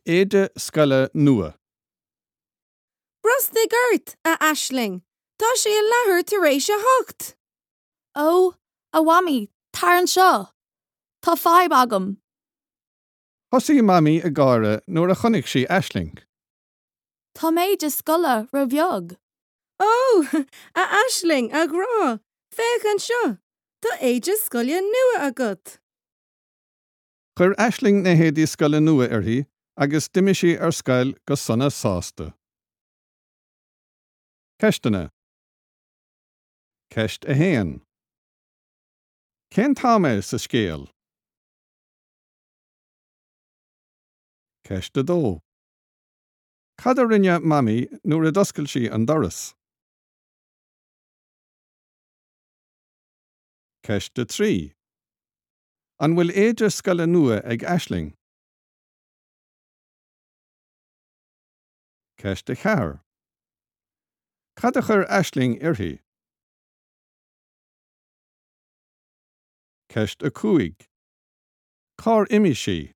Éide scoile nua. Brostaigh ort, a Aisling, tá sé a leathuair tar éis a hocht! Ó, a Mhamaí, tar anseo! Tá fadhb agam! Thosaigh Mamaí ag gáire nuair a chonaic sí Aisling. Tá m'éide scoile ró-bheag. Ó, a Aisling, a ghrá, féach anseo! Tá éide scoile nua agat! Chuir Aisling na héadaí scoile nua uirthi agus d'imigh sí ar scoil go sona sásta. Ceisteanna. Ceist 1. Cén t-am é sa scéal? Ceist 2. Cad a rinne Mamaí nuair a d'oscail sí an doras? Ceist 3. An bhfuil éide scoile nua ag Aisling? Ceist 4. Cad a chuir Aisling uirthi? Ceist 5. Cár imigh sí?